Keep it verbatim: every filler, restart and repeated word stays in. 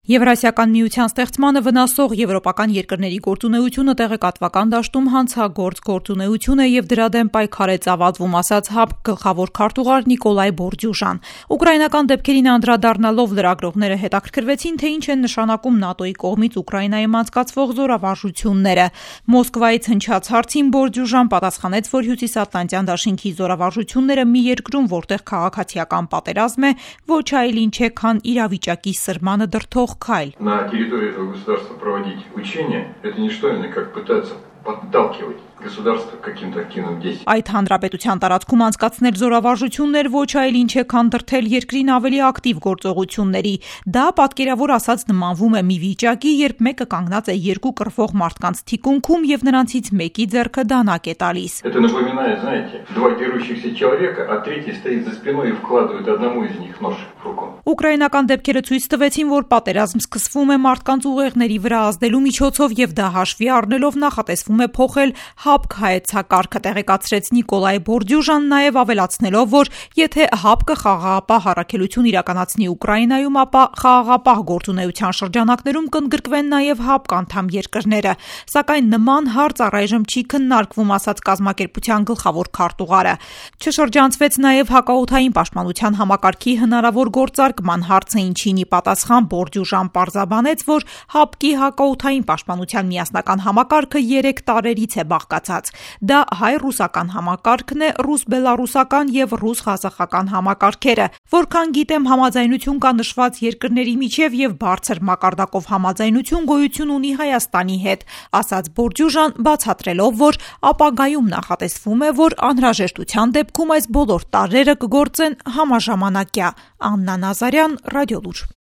Եվրասիական միության ստեղծմանը վնասող եվրոպական երկրների գործունեությունը տեղեկատվական դաշտում հանցագործ գործունեություն է եւ դրա դեմ պայքար է ծավալվում, ասաց ՀԱՊԿ գլխավոր քարտուղար Նիկոլայ Բորդյուժան։ Ուկրաինական դեպքերին անդրադառնալով լրագրողները հետաքրքրվեցին, թե ինչ են նշանակում ՆԱՏՕ-ի կողմից Ուկրաինայում անցկացվող զորավարժությունները։ Մոսկվայից հնչած հարցին Բորդյուժան պատասխանեց, որ Հյուսիսատլանտյան դաշինքի զորավարժությունները մի երկրում, որտեղ քաղաքացիական պատերազմ է, ոչ այլ ինչ է, քան իրավիճակի սրմանը դրդող քայլ։ На территории этого государства проводить учения – это не что иное, как пытаться подталкивать государство к каким-то активным действиям. Այդ հանրապետության տարածքում անցկացնել զորավարժություններ ոչ այլ ինչ է, քան դրդել երկրին ավելի ակտիվ գործողությունների։ Դա պատկերավոր ասած նմանվում է մի վիճակի, երբ մեկը կանգնած է երկու կռվող մարդկանց թիկունքում եւ նրանցից մեկի ձեռքը դանակ է տալիս։ Это напоминает, знаете, два дерущихся человека, а третий стоит за спиной и вкладывает одному из них нож в руку. Ուկրաինական դեպքերը ցույց տվեցին, որ պատերազմ սկսվում է մարդկանց ուղեղների վրա ազդելու միջոցով եւ դա հաշվի առնելով նախատեսվում է փոխել ՀԱՊԿ հայեցակարգը, տեղեկացրեց Նիկոլայ Բորդյուժան, նաեւ ավելացնելով, որ եթե ՀԱՊԿ-ը խաղաղապահ առաքելություն իրականացնի Ուկրաինայում, ապա խաղաղապահ գործունեության շրջանակներում կընդգրկվեն նաեւ ՀԱՊԿ անդամ երկրները, սակայն նման հարց առայժմ չի քննարկվում, ասաց կազմակերպության գլխավոր քարտուղարը։ Չշրջանցվեց նաեւ հակաօդային պաշտպանության համակարգի հնարավոր գործարկման հարցը, ինչին ի պատասխան Բորդյուժան պարզաբանեց, որ ՀԱՊԿ-ի հակաօդային պաշտպանության միասնական համակարգը երեք տարերից է բաղկացած։ Դա հայ-ռուսական համակարգն է, ռուս-բելառուսական եւ ռուս-ղազախական համակարգերը։ Որքան գիտեմ, համաձայնություն կա նշված երկրների միջև եւ բարձր մակարդակով համաձայնություն գոյություն ունի Հայաստանի հետ, ասաց Բորդյուժան, բացատրելով, որ ապագայում նախատեսվում է, որ անհրաժեշտության դեպքում այս բոլոր տարրերը կգործեն համաժամանակյա։ Աննա Նազարյան, Ռադիոլուր։